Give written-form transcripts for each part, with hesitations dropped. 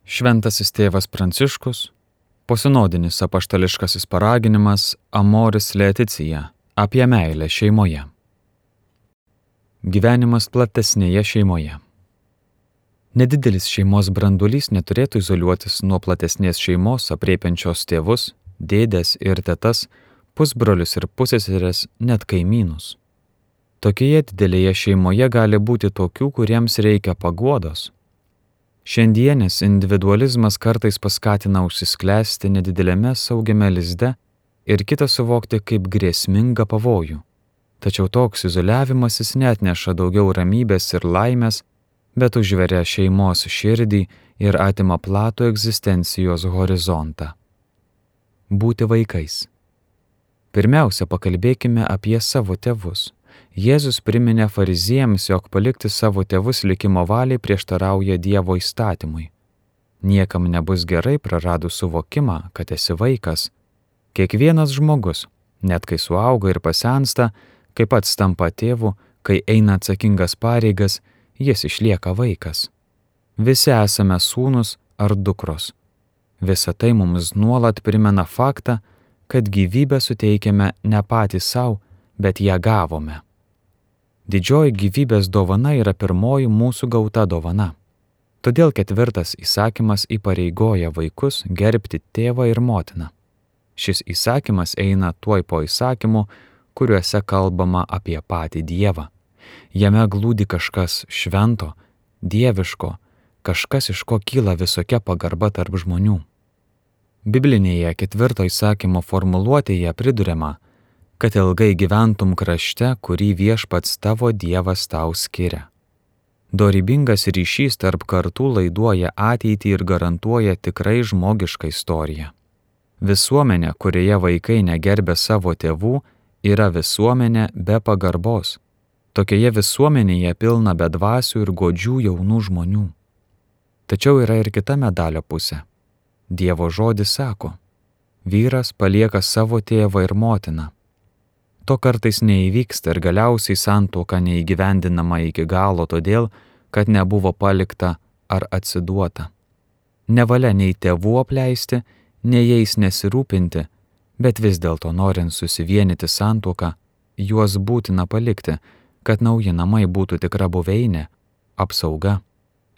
Šventasis tėvas Pranciškus, posinodinis apaštališkasis paraginimas Amoris Laetitia apie meilę šeimoje. Gyvenimas platesnėje šeimoje. Nedidelis šeimos branduolys neturėtų izoliuotis nuo platesnės šeimos aprėpiančios tėvus, dėdes ir tetas, pusbrolius ir pusseseres, net kaimynus. Tokioje didelėje šeimoje gali būti tokių, kuriems reikia paguodos. Šiandienis individualizmas kartais paskatina užsisklęsti nedidelėme saugiame lizde ir kitą suvokti kaip grėsmingą pavojų. Tačiau toks izoliavimasis neatneša daugiau ramybės ir laimės, bet užveria šeimos širdį ir atima platų egzistencijos horizontą. Būti vaikais. Pirmiausia, pakalbėkime apie savo tėvus. Jėzus priminė fariziejams, jog palikti savo tėvus likimo valiai prieštarauja Dievo įstatymui. Niekam nebus gerai praradus suvokimą, kad esi vaikas. Kiekvienas žmogus, net kai suauga ir pasensta, kai pats tampa tėvu, kai eina atsakingas pareigas, jis išlieka vaikas. Visi esame sūnus ar dukros. Visa tai mums nuolat primena faktą, kad gyvybę suteikiame ne patys savo, bet ją gavome. Didžioji gyvybės dovana yra pirmoji mūsų gauta dovana. Todėl 4 įsakymas įpareigoja vaikus gerbti tėvą ir motiną. Šis įsakymas eina tuoj po įsakymų, kuriuose kalbama apie patį Dievą. Jame glūdi kažkas švento, dieviško, kažkas, iš ko kyla visokia pagarba tarp žmonių. Biblinėje 4 įsakymo formuluotėje priduriama, kad ilgai gyventum krašte, kurį viešpats tavo Dievas tau skiria. Dorybingas ryšys tarp kartų laiduoja ateitį ir garantuoja tikrai žmogišką istoriją. Visuomenė, kurioje vaikai negerbia savo tėvų, yra visuomenė be pagarbos. Tokioje visuomenėje pilna bedvasių ir godžių jaunų žmonių. Tačiau yra ir kita medalio pusė. Dievo žodis sako, vyras palieka savo tėvą ir motiną. To kartais neįvyksta ir galiausiai santuoka neįgyvendinama iki galo todėl, kad nebuvo palikta ar atsiduota. Nevalia nei tėvų apleisti, nei jais nesirūpinti, bet vis dėlto norint susivienyti santuoką, juos būtina palikti, kad nauji namai būtų tikra buveinė, apsauga,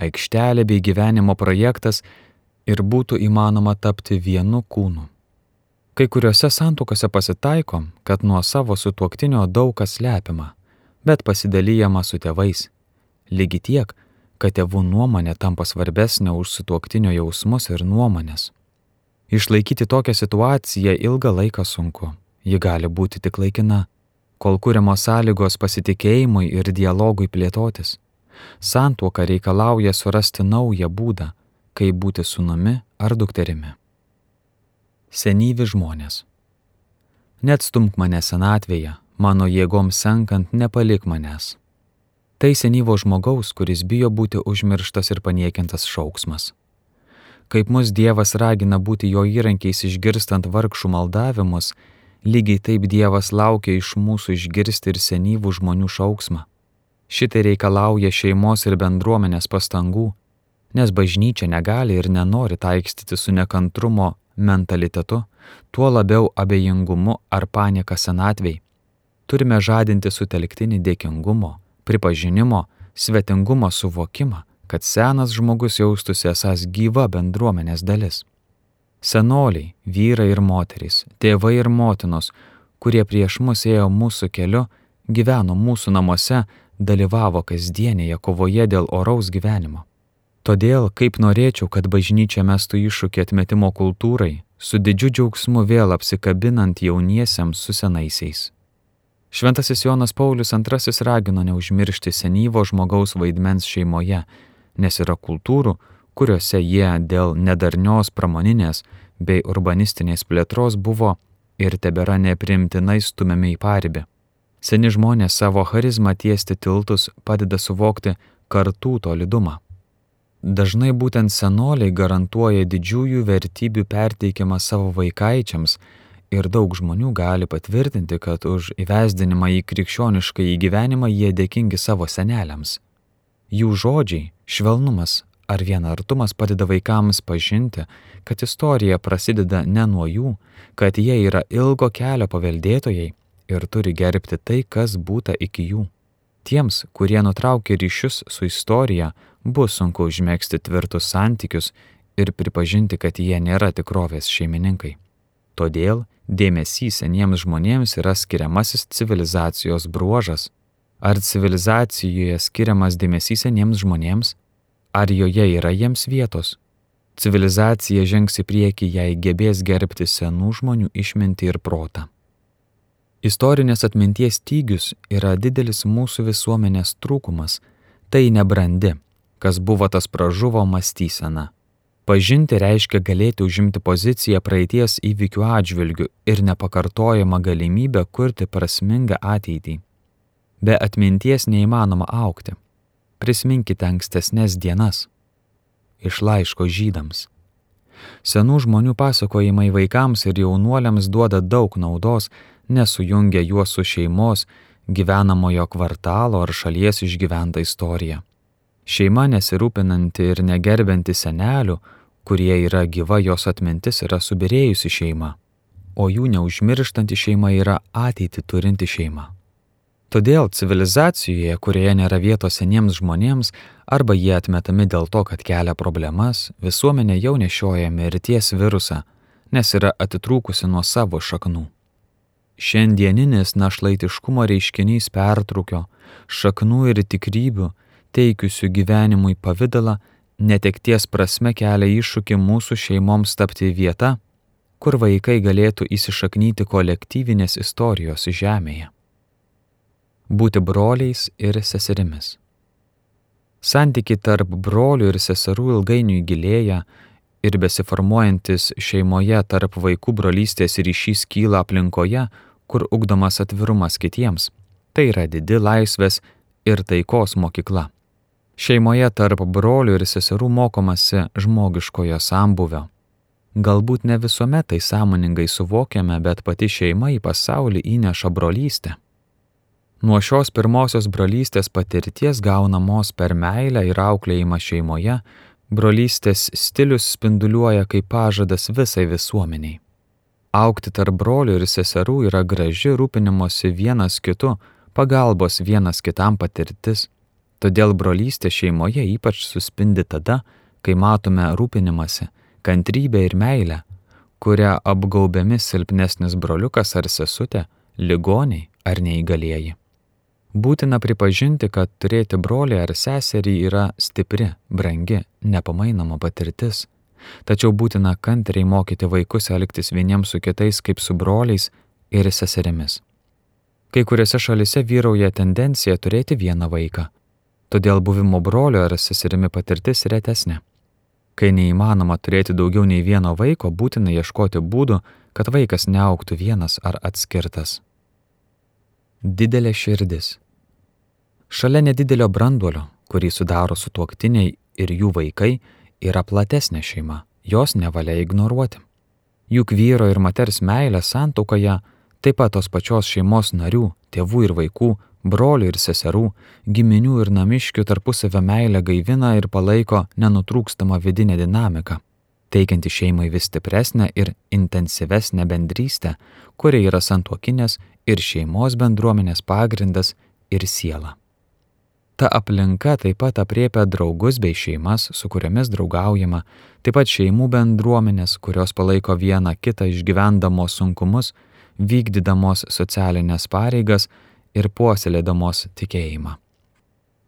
aikštelė bei gyvenimo projektas ir būtų įmanoma tapti vienu kūnu. Kai kuriuose santuokose pasitaiko, kad nuo savo sutuoktinio daug kas slepiama, bet pasidalijama su tėvais. Lygiai tiek, kad tėvų nuomonė tampa svarbesnė už sutuoktinio jausmus ir nuomonės. Išlaikyti tokią situaciją ilgą laiką sunku. Ji gali būti tik laikina, kol kuriamos sąlygos pasitikėjimui ir dialogui plėtotis. Santuoka reikalauja surasti naują būdą, kaip būti sūnumi ar dukterimi. Senyvi žmonės. Neatstumk mane senatvėje, mano jėgoms senkant nepalik manęs. Tai senyvo žmogaus, kuris bijo būti užmirštas ir paniekintas šauksmas. Kaip mus Dievas ragina būti jo įrankiais išgirstant vargšų maldavimus, lygiai taip Dievas laukia iš mūsų išgirsti ir senyvų žmonių šauksmą. Šitai reikalauja šeimos ir bendruomenės pastangų, nes bažnyčia negali ir nenori taikstyti su nekantrumo mentalitetu, tuo labiau abejingumu ar panieka senatvei. Turime žadinti sutelktinį dėkingumo, pripažinimo, svetingumo suvokimą, kad senas žmogus jaustųsi esąs gyva bendruomenės dalis. Senoliai, vyrai ir moterys, tėvai ir motinos, kurie prieš mus ėjo mūsų keliu, gyveno mūsų namuose, dalyvavo kasdienėje kovoje dėl oraus gyvenimo. Todėl, kaip norėčiau, kad bažnyčia mestų iššūkį atmetimo kultūrai, su didžiu džiaugsmu vėl apsikabinant jauniesiems su senaisiais. Šventasis Jonas Paulius II ragino neužmiršti senyvo žmogaus vaidmens šeimoje, nes yra kultūrų, kuriuose jie dėl nedarnios pramoninės bei urbanistinės plėtros buvo ir tebėra nepriimtinai stumiami į paribį. Seni žmonės savo charizmą tiesti tiltus padeda suvokti kartų tolydumą. Dažnai būtent senoliai garantuoja didžiųjų vertybių perteikimą savo vaikaičiams ir daug žmonių gali patvirtinti, kad už įvesdinimą į krikščionišką gyvenimą jie dėkingi savo seneliams. Jų žodžiai, švelnumas, ar vienartumas padeda vaikams pažinti, kad istorija prasideda ne nuo jų, kad jie yra ilgo kelio paveldėtojai ir turi gerbti tai, kas būta iki jų. Tiems, kurie nutraukia ryšius su istorija, bus sunku užmegzti tvirtus santykius ir pripažinti, kad jie nėra tikrovės šeimininkai. Todėl dėmesys seniems žmonėms yra skiriamasis civilizacijos bruožas. Ar civilizacijoje skiriamas dėmesys seniems žmonėms? Ar joje yra jiems vietos? Civilizacija žengs į priekį, jei gebės gerbti senų žmonių išmintį ir protą. Istorinės atminties stygius yra didelis mūsų visuomenės trūkumas. Tai nebrandi, kas buvo tas pražuvo mąstysena. Pažinti reiškia galėti užimti poziciją praeities įvykių atžvilgių ir nepakartojamą galimybę kurti prasmingą ateitį. Be atminties neįmanoma augti. Prisiminkite ankstesnės dienas. Iš laiško Žydams. Senų žmonių pasakojimai vaikams ir jaunuoliams duoda daug naudos, nesujungia juos su šeimos, gyvenamojo kvartalo ar šalies išgyventa istorija. Šeima nesirūpinanti ir negerbianti senelių, kurie yra gyva jos atmintis, yra subyrėjusi šeima, o jų neužmirštanti šeima yra ateitį turinti šeima. Todėl civilizacijoje, kurioje nėra vietos seniems žmonėms, arba jie atmetami dėl to, kad kelia problemas, visuomenė jau nešioja mirties virusą, nes yra atitrūkusi nuo savo šaknų. Šiandieninis našlaitiškumo reiškinys pertrūkio, šaknų ir tikrybių, teikiusių gyvenimui pavidalą, netekties prasme kelia iššūkį mūsų šeimoms tapti vieta, kur vaikai galėtų įsišaknyti kolektyvinės istorijos žemėje. Būti broliais ir seserimis. Santykiai tarp brolių ir seserų ilgainiui gilėja ir besiformuojantis šeimoje tarp vaikų brolystės ryšys kyla aplinkoje, kur ugdomas atvirumas kitiems. Tai yra didi laisvės ir taikos mokykla. Šeimoje tarp brolių ir seserų mokomasi žmogiškojo sambūvio. Galbūt ne visuomet tai sąmoningai suvokiame, bet pati šeima į pasaulį įneša brolystę. Nuo šios pirmosios brolystės patirties gaunamos per meilę ir auklėjimą šeimoje, brolystės stilius spinduliuoja kaip pažadas visai visuomeniai. Augti tarp brolių ir seserų yra graži rūpinimosi vienas kitu, pagalbos vienas kitam patirtis. Todėl brolystė šeimoje ypač suspindi tada, kai matome rūpinimąsi, kantrybę ir meilę, kurią apgaubiami silpnesnis broliukas ar sesutė, ligoniai ar neįgalieji. Būtina pripažinti, kad turėti brolį ar seserį yra stipri, brangi, nepamainoma patirtis. Tačiau būtina kantriai mokyti vaikus elgtis vieniems su kitais kaip su broliais ir seserimis. Kai kuriuose šalise vyrauja tendencija turėti vieną vaiką. Todėl buvimo brolio ar seserimi patirtis retesnė. Kai neįmanoma turėti daugiau nei vieno vaiko, būtina ieškoti būdų, kad vaikas neaugtų vienas ar atskirtas. Didelė širdis. Šalia nedidelio branduolio, kurį sudaro sutuoktiniai ir jų vaikai, yra platesnė šeima, jos nevalia ignoruoti. Juk vyro ir moters meilė santuokoje, taip pat tos pačios šeimos narių, tėvų ir vaikų, brolių ir seserų, giminių ir namiškių tarpusavio meilę gaivina ir palaiko nenutrūkstamą vidinę dinamiką, teikianti šeimai vis stipresnę ir intensyvesnę bendrystę, kuri yra santuokinės ir šeimos bendruomenės pagrindas ir siela. Ta aplinka taip pat apriepia draugus bei šeimas, su kuriomis draugaujama, taip pat šeimų bendruomenės, kurios palaiko vieną kitą išgyvendamos sunkumus, vykdydamos socialinės pareigas ir puoselėdamos tikėjimą.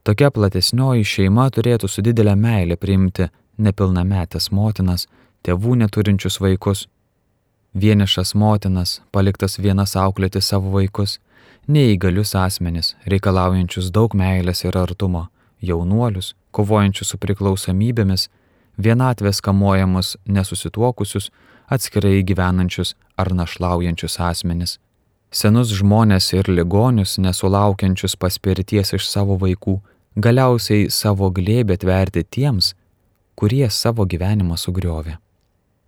Tokia platesnioji šeima turėtų su didelė meilė priimti nepilnametės motinas, tėvų neturinčius vaikus, vienišas motinas, paliktas vienas auklėti savo vaikus, neįgalius asmenis, reikalaujančius daug meilės ir artumo, jaunuolius, kovojančius su priklausomybėmis, vienatvės kamuojamus nesusituokusius, atskirai gyvenančius ar našlaujančius asmenis, senus žmones ir ligonius, nesulaukiančius paspirties iš savo vaikų, galiausiai savo glėbį atverti tiems, kurie savo gyvenimą sugriovė.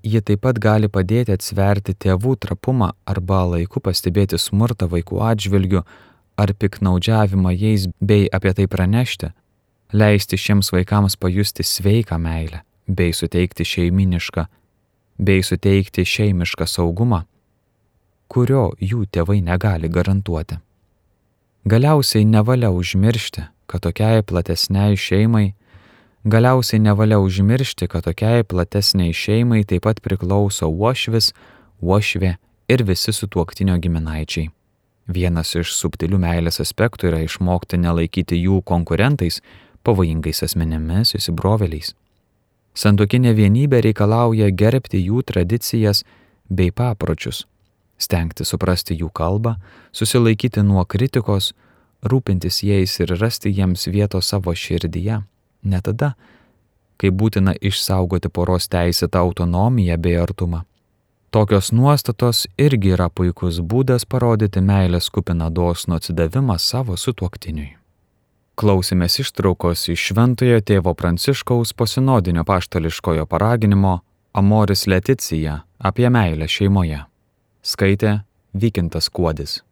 Ji taip pat gali padėti atsverti tėvų trapumą arba laiku pastebėti smurtą vaikų atžvilgiu ar piknaudžiavimą jais bei apie tai pranešti, leisti šiems vaikams pajusti sveiką meilę, bei suteikti šeimišką saugumą, kurio jų tėvai negali garantuoti. Galiausiai nevalia užmiršti, kad tokiai platesniai šeimai taip pat priklauso uošvis, uošvė ir visi sutuoktinio giminaičiai. Vienas iš subtilių meilės aspektų yra išmokti nelaikyti jų konkurentais, pavojingais asmenimis, įsibrovėliais. Santuokinė vienybė reikalauja gerbti jų tradicijas bei papročius, stengti suprasti jų kalbą, susilaikyti nuo kritikos, rūpintis jais ir rasti jiems vietos savo širdyje, ne tada, kai būtina išsaugoti poros teisėtą autonomiją bei artumą. Tokios nuostatos irgi yra puikus būdas parodyti meilės kupiną dosnų atsidavimą savo sutuoktiniui. Klausėmės ištraukos iš Šventojo tėvo Pranciškaus posinodinio apaštališkojo paraginimo Amoris Laetitia apie meilę šeimoje. Skaitė Vykintas Kuodis.